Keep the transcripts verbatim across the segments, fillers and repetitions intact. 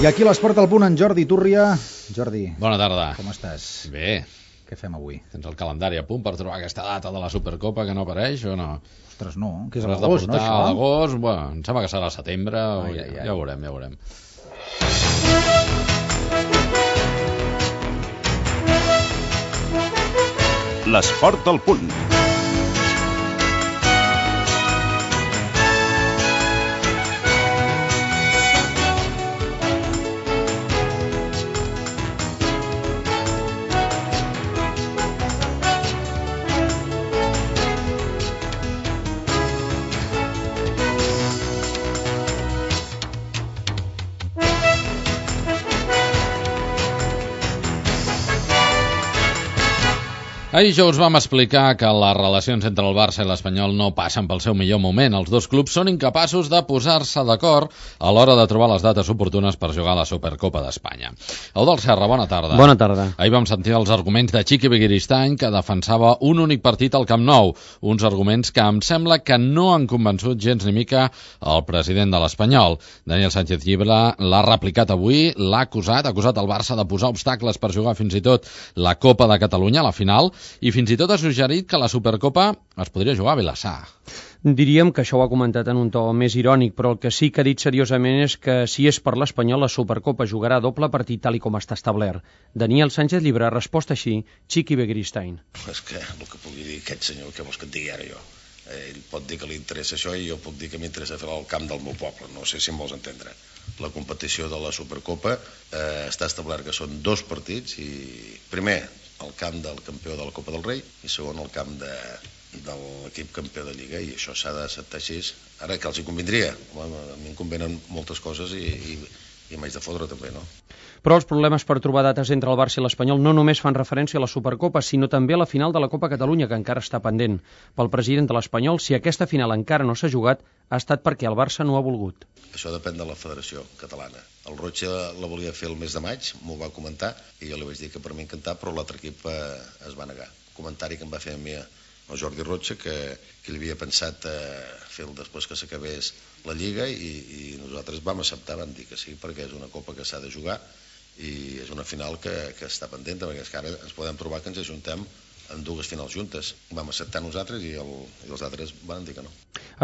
I aquí l'Esport al punt en Jordi Túrria. Jordi, bona tarda. Com estàs? Bé. Què fem avui? Tens el calendari a punt per trobar aquesta data de la Supercopa que no apareix o no? Ostres, no, que és a L'has l'agost, de no, portar això? a l'agost, bueno, em sembla que serà a setembre, o Ai, ja, ai, ai. ja ho veurem, ja ho veurem. L'Esport al punt. Ahir ja us vam explicar que les relacions entre el Barça i l'Espanyol no passen pel seu millor moment. Els dos clubs són incapaços de posar-se d'acord a l'hora de trobar les dates oportunes per jugar a la Supercopa d'Espanya. Eudald Serra, bona tarda. Bona tarda. Ahir vam sentir els arguments de Txiki Begiristain, que defensava un únic partit al Camp Nou. Uns arguments que em sembla que no han convençut gens ni mica el president de l'Espanyol. Daniel Sánchez Llibre l'ha replicat avui, l'ha acusat, ha acusat el Barça de posar obstacles per jugar fins i tot la Copa de Catalunya, la final, i fins i tot ha suggerit que la Supercopa es podria jugar a Vilassar. Diríem que això ho ha comentat en un to més irònic, però el que sí que ha dit seriosament és que si és per l'Espanyol, la Supercopa jugarà a doble partit tal i com està establert. Daniel Sánchez Llibre ha respost així, Txiki Begiristain. És que el que pugui dir aquest senyor, què vols que et digui ara jo? Ell pot dir que li interessa això i jo puc dir que m'interessa fer al camp del meu poble, no sé si em vols entendre. La competició de la Supercopa eh, està establert que són dos partits i primer el camp del campió de la Copa del Rei i segon el camp de, de l'equip campió de Lliga, i això s'ha d'acceptar així. Ara, que els hi convindria? Home, a mi em convenen moltes coses i, i, i m'haig de fotre també, no? Però els problemes per trobar dates entre el Barça i l'Espanyol no només fan referència a la Supercopa, sinó també a la final de la Copa Catalunya, que encara està pendent. Pel president de l'Espanyol, si aquesta final encara no s'ha jugat, ha estat perquè el Barça no ha volgut. Això depèn de la Federació Catalana. El Roig la volia fer el mes de maig, m'ho va comentar, i jo li vaig dir que per mi encantat, però l'altre equip eh, es va negar. Comentari que em va fer a mi el Jordi Roig, que, que li havia pensat eh, fer-lo després que s'acabés la Lliga, i, i nosaltres vam acceptar, vam dir que sí, perquè és una Copa que s'ha de jugar, i és una final que, que està pendent, perquè és que ara ens podem trobar que ens ajuntem en dues finals juntes. Vam acceptar nosaltres i, el, i els altres van dir que no.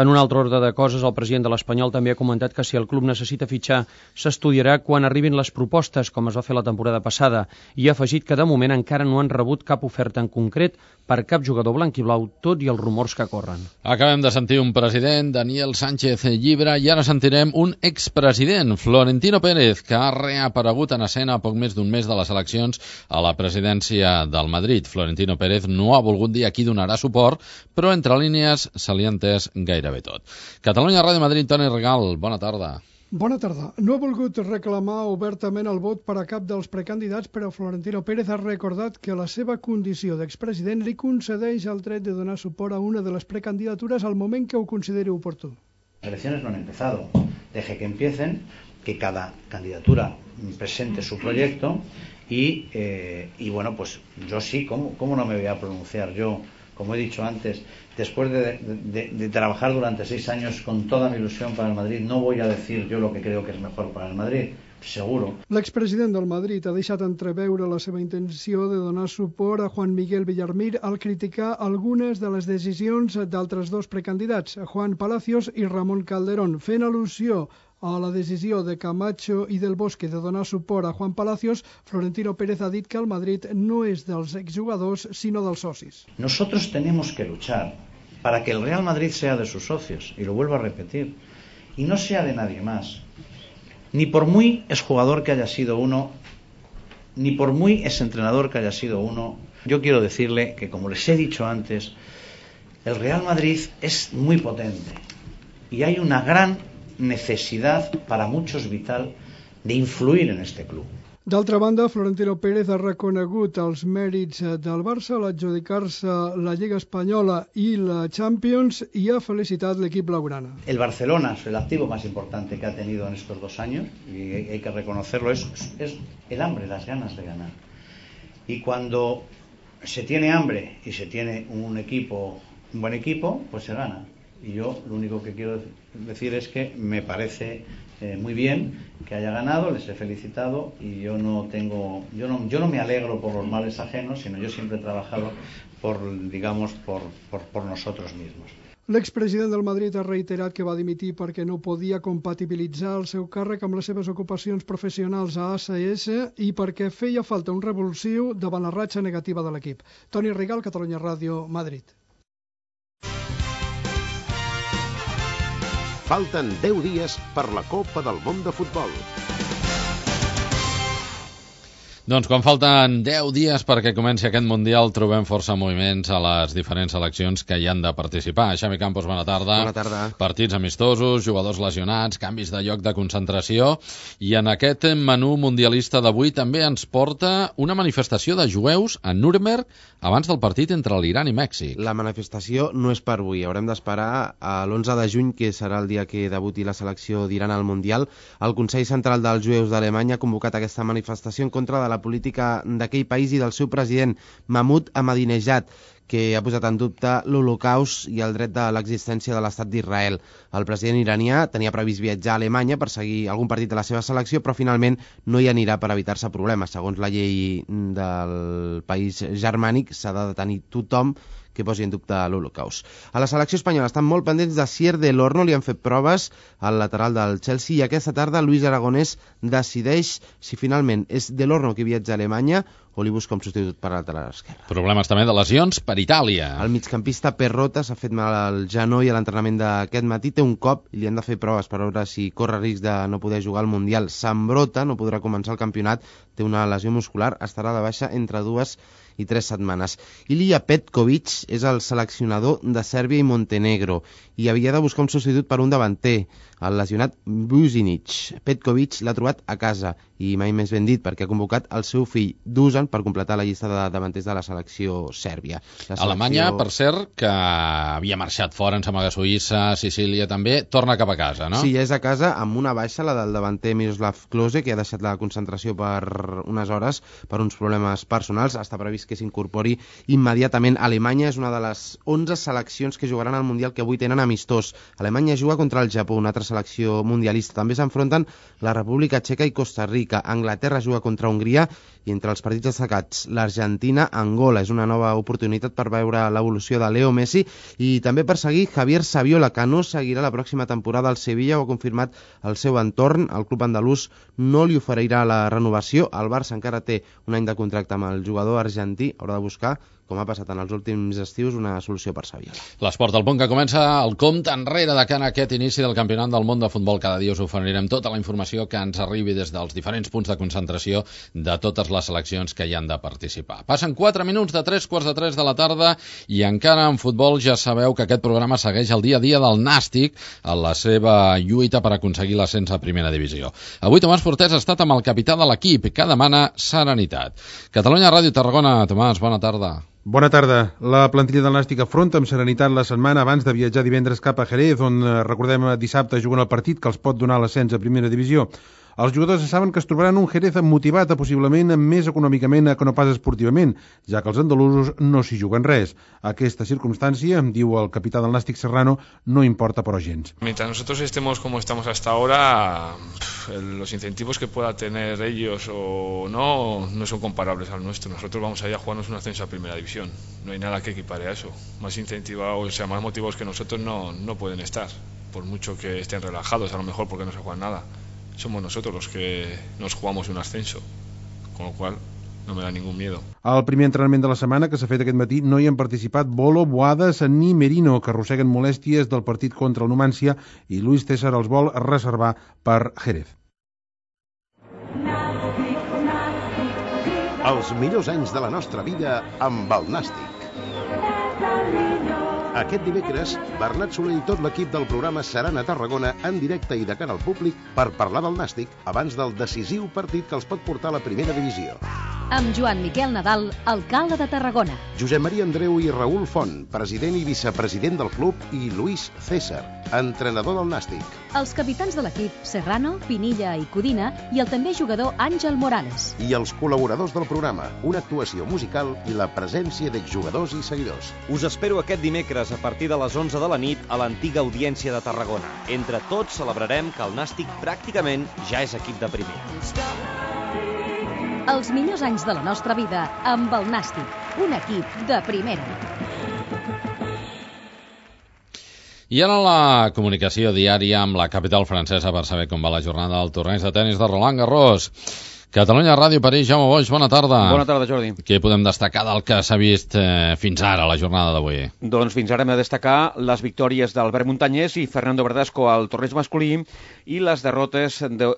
En un altre ordre de coses, el president de l'Espanyol també ha comentat que si el club necessita fitxar, s'estudiarà quan arribin les propostes, com es va fer la temporada passada, i ha afegit que de moment encara no han rebut cap oferta en concret per cap jugador blanc i blau, tot i els rumors que corren. Acabem de sentir un president, Daniel Sánchez Llibre, i ara sentirem un expresident, Florentino Pérez, que ha reaparegut en escena a poc més d'un mes de les eleccions a la presidència del Madrid. Florentino Pérez no ha volgut dir a qui donarà suport, però entre línies se li ha entès gairebé tot. Catalunya Ràdio Madrid, Toni Regal, bona tarda. Bona tarda. No ha volgut reclamar obertament el vot per a cap dels precandidats, però Florentino Pérez ha recordat que la seva condició d'expresident li concedeix el dret de donar suport a una de les precandidatures al moment que ho consideri oportú. Las elecciones no han empezado. Deje que empiecen, que cada candidatura presente su proyecto y, eh, y bueno, pues yo sí, ¿cómo, ¿cómo no me voy a pronunciar yo? Como he dicho antes, después de, de, de trabajar durante seis años con toda mi ilusión para el Madrid, no voy a decir yo lo que creo que es mejor para el Madrid, seguro. L'expresident del Madrid ha deixat entreveure la seva intenció de donar suport a Juan Miguel Villarmir al criticar algunes de les decisions d'altres dos precandidats, Juan Palacios i Ramon Calderón, fent al·lusió a la decisió de Camacho i del Bosque de donar suport a Juan Palacios. Florentino Pérez ha dit que el Madrid no és dels exjugadors, sinó dels socis. Nosotros tenemos que luchar para que el Real Madrid sea de sus socios, y lo vuelvo a repetir, y no sea de nadie más. Ni por muy exjugador que haya sido uno, ni por muy exentrenador que haya sido uno, yo quiero decirle que, como les he dicho antes, el Real Madrid es muy potente y hay una gran necesidad, para muchos vital, de influir en este club. D'altra banda, Florentino Pérez ha reconegut els mèrits del Barça a l'adjudicar-se la Lliga Espanyola i la Champions i ha felicitat l'equip blaugrana. El Barcelona es el activo más importante que ha tenido en estos dos años y hay que reconocerlo, es, es el hambre, las ganas de ganar. Y cuando se tiene hambre y se tiene un equipo, un buen equipo, pues se gana. Y yo lo único que quiero decir es que me parece eh, muy bien que haya ganado, les he felicitado y yo no tengo, yo no, yo no me alegro por los males ajenos, sino yo siempre he trabajado por, digamos, por, por, por nosotros mismos. L'expresident del Madrid ha reiterat que va dimitir perquè no podia compatibilitzar el seu càrrec amb les seves ocupacions professionals a A C S i perquè feia falta un revulsiu davant la ratxa negativa de l'equip. Toni Rigal, Catalunya Ràdio, Madrid. Falten deu dies per la Copa del Món de Futbol. Doncs quan falten deu dies perquè comenci aquest Mundial trobem força moviments a les diferents seleccions que hi han de participar. Xavi Campos, bona tarda. Bona tarda. Partits amistosos, jugadors lesionats, canvis de lloc de concentració i en aquest menú mundialista d'avui també ens porta una manifestació de jueus a Nuremberg abans del partit entre l'Iran i Mèxic. La manifestació no és per avui, haurem d'esperar a l'onze de juny, que serà el dia que debuti la selecció d'Iran al Mundial. El Consell Central dels Jueus d'Alemanya ha convocat aquesta manifestació en contra de la política d'aquell país i del seu president, Mahmoud Ahmadinejad, que ha posat en dubte l'Holocaust i el dret de l'existència de l'Estat d'Israel. El president iranià tenia previst viatjar a Alemanya per seguir algun partit de la seva selecció, però finalment no hi anirà per evitar-se problemes. Segons la llei del país germànic, s'ha de detenir tothom que posi en dubte l'Holocaust. A la selecció espanyola estan molt pendents de Sier del Horno, li han fet proves al lateral del Chelsea i aquesta tarda Luis Aragonès decideix si finalment és del Horno qui viatja a Alemanya o li busca un substitut per al lateral esquerre. Problemes també de lesions per Itàlia. El migcampista Perrota s'ha fet mal al genoll a l'entrenament d'aquest matí, té un cop i li han de fer proves per veure si corre risc de no poder jugar al Mundial. S'embrota, no podrà començar el campionat, té una lesió muscular, estarà de baixa entre dues i tres setmanes. Ilija Petkovic és el seleccionador de Sèrbia i Montenegro i havia de buscar un substitut per un davanter, el lesionat Buzinic. Petkovic l'ha trobat a casa i mai més ben dit perquè ha convocat el seu fill Dusan per completar la llista de davanters de la selecció sèrbia. La selecció... Alemanya, per cert, que havia marxat fora, en sembla que Suïssa, Sicília també, torna cap a casa, no? Sí, ja és a casa amb una baixa, la del davanter Miroslav Klose, que ha deixat la concentració per unes hores per uns problemes personals. Està previst que s'incorpori immediatament. Alemanya és una de les onze seleccions que jugaran al Mundial que avui tenen amistós. Alemanya juga contra el Japó, una altra selecció mundialista. També s'enfronten la República Txeca i Costa Rica. Anglaterra juga contra Hongria i entre els partits destacats l'Argentina-Angola. És una nova oportunitat per veure l'evolució de Leo Messi i també per seguir Javier Saviola, que no seguirà la pròxima temporada al Sevilla, ho ha confirmat el seu entorn. El club andalús no li oferirà la renovació. El Barça encara té un any de contracte amb el jugador argentí, haurà de buscar, com ha passat en els últims estius, una solució per Saviola. L'Esport al Punt, que comença el compte enrere de cara a aquest inici del Campionat del Món de Futbol. Cada dia us oferirem tota la informació que ens arribi des dels diferents punts de concentració de totes les seleccions que hi han de participar. Passen quatre minuts de tres quarts de tres de la tarda i encara en futbol ja sabeu que aquest programa segueix el dia a dia del Nàstic en la seva lluita per aconseguir l'ascens a primera divisió. Avui Tomàs Fortés ha estat amb el capità de l'equip, que demana serenitat. Catalunya Ràdio Tarragona. Tomàs, bona tarda. Bona tarda. La plantilla del Nàstic afronta amb serenitat la setmana abans de viatjar divendres cap a Jerez, on, recordem, dissabte juguen el partit que els pot donar l'ascens a primera divisió. Els jugadors saben que es trobaran un Jerez motivat, possiblement més econòmicament que no pas esportivament, ja que els andalusos no s'hi juguen res. Aquesta circunstància, diu el capità del Nàstic Serrano, no importa però gens. Mientras nosotros estemos como estamos hasta ahora, los incentivos que pueda tener ellos o no, no son comparables al nuestro. Nosotros vamos allá a jugarnos un ascenso a primera división. No hay nada que equipare a eso. Más incentivados, o sea, más motivados que nosotros no, no pueden estar, por mucho que estén relajados, a lo mejor porque no se juegan nada. Somos nosotros los que nos jugamos un ascenso, con lo cual no me da ningún miedo. Al primer entrenament de la setmana, que s'ha fet aquest matí, no hi han participat Bolo, Boades ni Merino, que arrosseguen molèsties del partit contra el Numancia, i Luis César els vol reservar per Jerez. Els millors anys de la nostra vida amb el Nàstic. Aquest dimecres, Bernat Soler i tot l'equip del programa seran a Tarragona en directe i de cara al públic per parlar del Nàstic abans del decisiu partit que els pot portar a la primera divisió. amb Joan Miquel Nadal, alcalde de Tarragona. Josep Maria Andreu i Raül Font, president i vicepresident del club, i Luis César, entrenador del Nàstic. Els capitans de l'equip, Serrano, Pinilla i Codina, i el també jugador Àngel Morales. I els col·laboradors del programa, una actuació musical i la presència d'exjugadors i seguidors. Us espero aquest dimecres a partir de les onze de la nit a l'antiga Audiència de Tarragona. Entre tots celebrarem que el Nàstic pràcticament ja és equip de primera. Els millors anys de la nostra vida amb el Nàstic, un equip de primera. I ara la comunicació diària amb la capital francesa per saber com va la jornada del torneig de tennis de Roland Garros. Catalunya Ràdio, París, Jaume Boix, bona tarda. Bona tarda, Jordi. Què podem destacar del que s'ha vist eh, fins ara, la jornada d'avui? Doncs fins ara hem de destacar les victòries d'Albert Montañés i Fernando Verdasco al torneig masculí i les derrotes de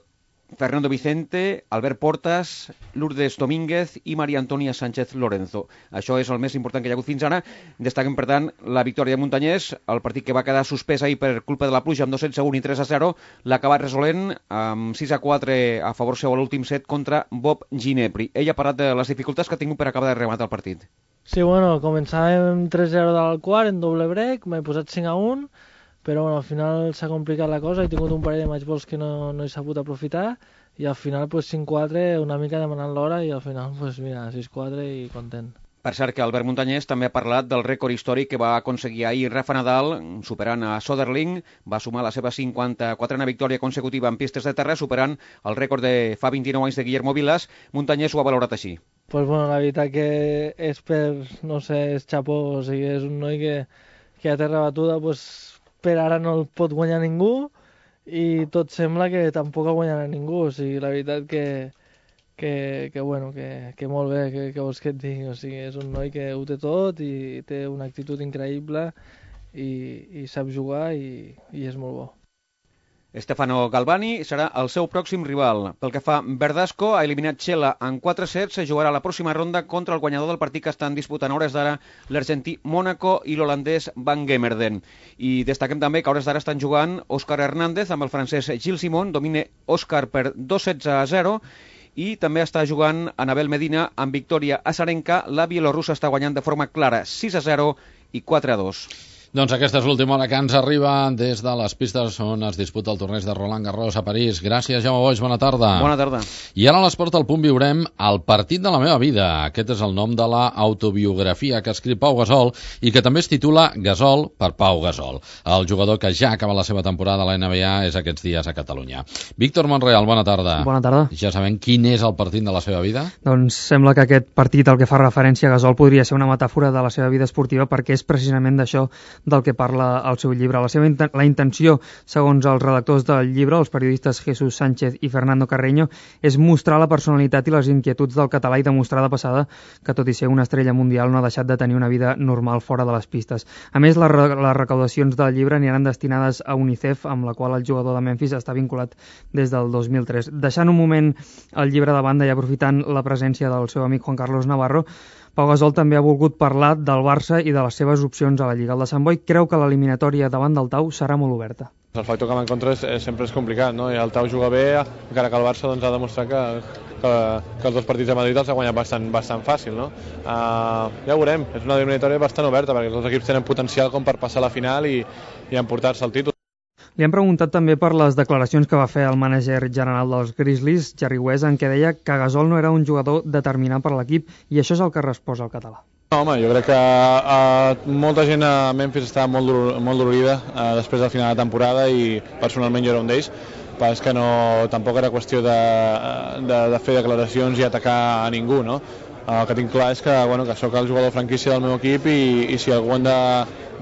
Fernando Vicente, Albert Portas, Lourdes Domínguez i María Antonia Sánchez Lorenzo. Això és el més important que hi ha hagut fins ara. Destaquem, per tant, la victòria de Montañés, el partit que va quedar suspès ahir per culpa de la pluja amb dos sets a un i tres a zero, l'ha acabat resolent amb sis a quatre a favor seu a l'últim set contra Bob Ginepri. Ell ha parlat de les dificultats que ha tingut per acabar de rematar el partit. Sí, bueno, començàvem tres a zero del quart en doble break, m'he posat cinc a un, però bueno, al final s'ha complicat la cosa, he tingut un parell de matchballs que no, no he sabut aprofitar i al final pues, cinc quatre, una mica demanant l'hora i al final pues, mira, sis quatre i content. Per cert que Albert Montañés també ha parlat del rècord històric que va aconseguir ahir Rafa Nadal, superant a Soderling, va sumar la seva cinquanta-quatrena victòria consecutiva en pistes de terra, superant el rècord de fa vint-i-nou anys de Guillermo Vilas. Montañés ho ha valorat així. Pues bueno, la veritat que és per, no sé, és xapó, o sigui, és un noi que, que a terra batuda pues, per ara no el pot guanyar ningú i tot sembla que tampoc el guanyarà ningú, o sigui, la veritat que que, que bueno, que, que molt bé, que, que vols que et digui, o sigui, és un noi que ho té tot i té una actitud increïble i, i sap jugar i, i és molt bo. Stefano Galvani serà el seu pròxim rival. Pel que fa, Verdasco ha eliminat Xela en quatre sets, se jugarà la pròxima ronda contra el guanyador del partit que estan disputant a hores d'ara l'argentí Mónaco i l'holandès Van Gemmerden. I destaquem també que a hores d'ara estan jugant Òscar Hernández amb el francès Gilles Simon, domina Òscar per dos sets a zero, i també està jugant Anabel Medina amb victòria azarenca. La bielorrussa està guanyant de forma clara sis a zero i quatre a dos. Doncs aquesta és l'última hora que ens arriba des de les pistes on es disputa el torneig de Roland Garros a París. Gràcies, Jaume Boix, bona tarda. Bona tarda. I ara a l'Esport al Punt viurem el partit de la meva vida. Aquest és el nom de la autobiografia que ha escrit Pau Gasol i que també es titula Gasol per Pau Gasol. El jugador que ja acaba la seva temporada a la N B A és aquests dies a Catalunya. Víctor Monreal, bona tarda. Bona tarda. Ja sabem quin és el partit de la seva vida? Doncs sembla que aquest partit, el que fa referència a Gasol, podria ser una metàfora de la seva vida esportiva perquè és precisament d'això del que parla el seu llibre. La seva inten la intenció, segons els redactors del llibre, els periodistes Jesús Sánchez i Fernando Carreño, és mostrar la personalitat i les inquietuds del català i demostrar de passada que, tot i ser una estrella mundial, no ha deixat de tenir una vida normal fora de les pistes. A més, les, re les recaudacions del llibre aniran destinades a UNICEF, amb la qual el jugador de Memphis està vinculat des del dos mil tres. Deixant un moment el llibre de banda i aprofitant la presència del seu amic Juan Carlos Navarro, Pau Gasol també ha volgut parlar del Barça i de les seves opcions a la Lliga. El de Sant Boi creu que l'eliminatòria davant del Tau serà molt oberta. El factor que m'encontre és, és, sempre és complicat, no? I el Tau juga bé, encara que el Barça doncs, ha demostrat que, que, que els dos partits de Madrid els ha guanyat bastant, bastant fàcil, no? Uh, ja ho veurem, és una eliminatòria bastant oberta perquè els dos equips tenen potencial com per passar a la final i, i emportar-se el títol. Li han preguntat també per les declaracions que va fer el mànager general dels Grizzlies, Jerry West, en què deia que Gasol no era un jugador determinant per a l'equip, i això és el que resposa el català. No, home, jo crec que uh, molta gent a Memphis està molt, dolor, molt dolorida uh, després del final de temporada i personalment jo era un d'ells. Però és que no, tampoc era qüestió de, de, de fer declaracions i atacar a ningú, no? El que tinc clar és que, bueno, que sóc el jugador franquícia del meu equip i, i si algú han de,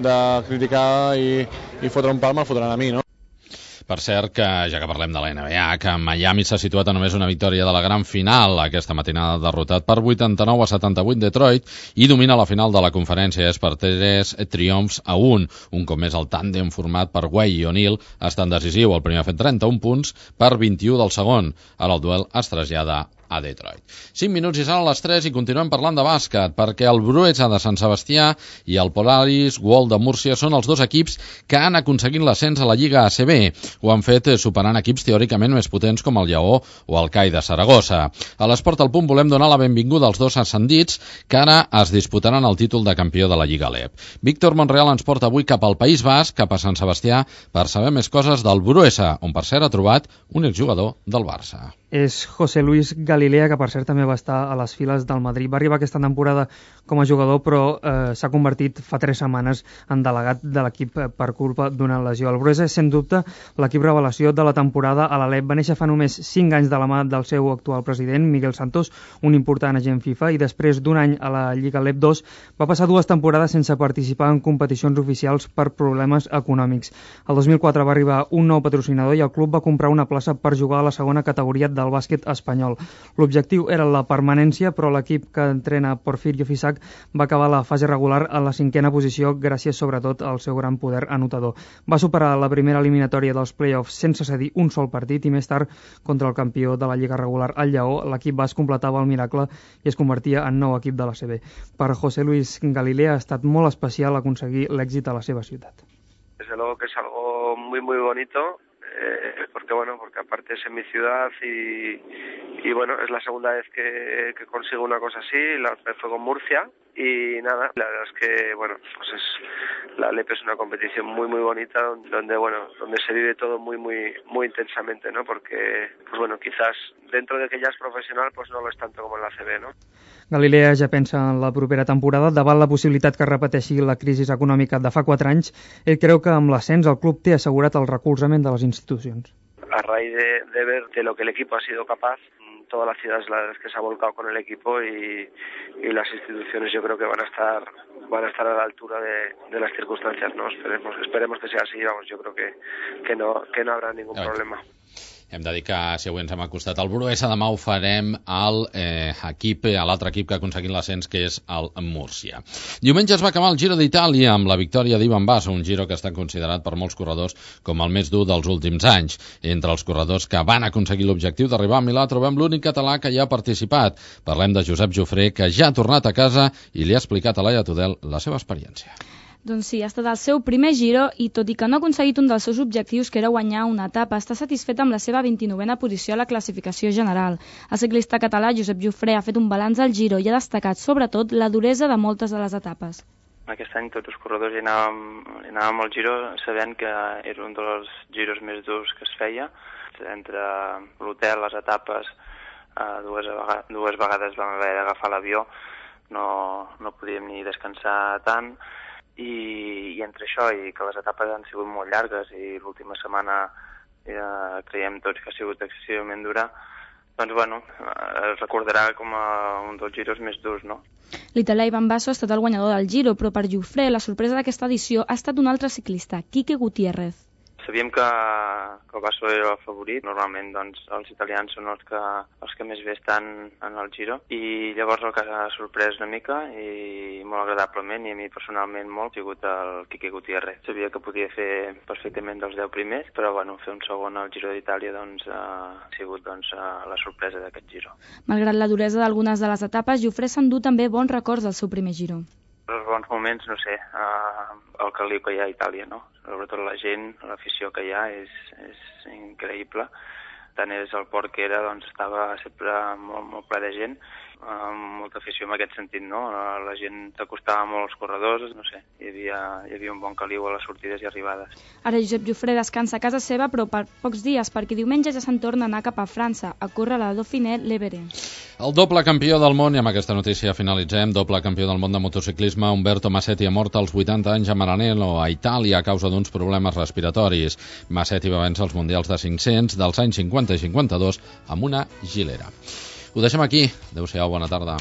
de criticar i, i fotre un pal, me'l fotran a mi, no? Per cert, que ja que parlem de la N B A, que Miami s'ha situat a només una victòria de la gran final. Aquesta matinada derrotat per vuitanta-nou a setanta-vuit Detroit i domina la final de la conferència. És per tres triomfs a un. Un cop més el tàndem format per Way i O'Neal està en decisiu. El primer ha fet trenta-un punts per vint-i-u del segon. Ara el duel es trasllada a Detroit. cinc minuts i seran a les tres i continuem parlant de bàsquet, perquè el Bruesa de Sant Sebastià i el Polaris World de Múrcia són els dos equips que han aconseguit l'ascens a la Lliga A C B. Ho han fet superant equips teòricament més potents com el Lleó o el C A I de Saragossa. A l'Esport al Punt volem donar la benvinguda als dos ascendits que ara es disputaran el títol de campió de la Lliga Alep. Víctor Monreal ens porta avui cap al País Basc, cap a Sant Sebastià, per saber més coses del Bruesa, on per cert ha trobat un exjugador del Barça. És José Luis Galilea, que per cert també va estar a les files del Madrid. Va arribar aquesta temporada com a jugador, però eh, s'ha convertit fa tres setmanes en delegat de l'equip per culpa d'una lesió. El Bruesa és, sens dubte, l'equip revelació de la temporada a l'Alep. Va néixer fa només cinc anys de la mà del seu actual president, Miguel Santos, un important agent FIFA, i després d'un any a la Lliga Alep dos va passar dues temporades sense participar en competicions oficials per problemes econòmics. El dos mil quatre va arribar un nou patrocinador i el club va comprar una plaça per jugar a la segona categoria del bàsquet espanyol. L'objectiu era la permanència, però l'equip que entrena Porfirio Fisac va acabar la fase regular a la cinquena posició gràcies sobretot al seu gran poder anotador. Va superar la primera eliminatòria dels play-offs sense cedir un sol partit i més tard, contra el campió de la Lliga regular, el Lleó, l'equip basc completava el miracle i es convertia en nou equip de la A C B. Per José Luis Galilea ha estat molt especial aconseguir l'èxit a la seva ciutat. Desde luego que es algo muy muy bonito. Eh, porque bueno, porque aparte es en mi ciudad y, y bueno, es la segunda vez que, que consigo una cosa así. La vez fue con Murcia y nada, la verdad es que bueno, pues es la Alep es una competición muy muy bonita donde bueno, donde se vive todo muy muy muy intensamente, ¿no? Porque pues bueno, quizás dentro de que ya es profesional, pues no lo es tanto como en la A C B, ¿no? Galilea ja pensa en la propera temporada. Davant la possibilitat que repeteixi la crisi econòmica de fa quatre anys, ell creu que amb l'ascens el club té assegurat el recolzament de les institucions. A raíz de, de ver de lo que el equipo ha sido capaz, toda la ciudad es la verdad es que se ha volcado con el equipo y, y las instituciones yo creo que van a estar van a estar a la altura de, de las circunstancias, ¿no? Esperemos, esperemos que sea así, vamos, yo creo que, que no que no habrá ningún problema. Hem de dir que si avui ens hem acostat al Bruesa, demà ho farem al eh, equip, a l'altre equip que ha aconseguit l'ascens, que és el Múrcia. Diumenge es va acabar el Giro d'Itàlia amb la victòria d'Ivan Basso, un Giro que està considerat per molts corredors com el més dur dels últims anys. Entre els corredors que van aconseguir l'objectiu d'arribar a Milà trobem l'únic català que hi ha participat. Parlem de Josep Jofré, que ja ha tornat a casa i li ha explicat a Laia Tudel la seva experiència. Doncs sí, ha estat el seu primer Giro i tot i que no ha aconseguit un dels seus objectius, que era guanyar una etapa, està satisfet amb la seva vint-i-novena posició a la classificació general. El ciclista català Josep Jofré ha fet un balanç al Giro i ha destacat sobretot la duresa de moltes de les etapes. Aquest any tots els corredors hi anàvem, hi anàvem al Giro sabent que era un dels giros més durs que es feia. Entre l'hotel, les etapes, eh, dues, vegades, dues vegades vam haver d'agafar l'avió, no, no podíem ni descansar tant. I, i entre això i que les etapes han sigut molt llargues i l'última setmana eh, creiem tots que ha sigut excessivament dura, doncs bueno, es recordarà com a un dels giros més durs, no? L'italià Ivan Basso ha estat el guanyador del Giro, però per Jofré la sorpresa d'aquesta edició ha estat un altre ciclista, Quique Gutiérrez. Sabíem que, que el Basso era el favorit. Normalment doncs, els italians són els que, els que més bé estan en el Giro. I llavors el que ha sorprès una mica i molt agradablement, i a mi personalment molt, ha sigut el Quique Gutiérrez. Sabia que podia fer perfectament dels deu primers, però bueno, fer un segon al Giro d'Itàlia doncs, ha sigut doncs, la sorpresa d'aquest Giro. Malgrat la duresa d'algunes de les etapes, Jofré s'endú també bons records del seu primer Giro. Els bons moments, no sé, uh, el caliu que hi ha a Itàlia, no? Sobretot la gent, l'afició que hi ha és, és increïble. Tant és el port que era, doncs estava sempre molt, molt ple de gent, amb molta afició en aquest sentit, no? La gent s'acostava molt als corredors, no sé, hi havia, hi havia un bon caliu a les sortides i arribades. Ara Josep Jofré descansa a casa seva, però per pocs dies, perquè diumenge ja se'n torna a anar cap a França, a córrer la Dauphiné-Levere. El doble campió del món, i amb aquesta notícia finalitzem, doble campió del món de motociclisme, Umberto Massetti ha mort als vuitanta anys a Maranello, a Itàlia, a causa d'uns problemes respiratoris. Massetti va vèncer els mundials de cinc-cents dels anys cinquanta i cinquanta-dos amb una gilera. Ho deixem aquí. Adéu-siau, bona tarda.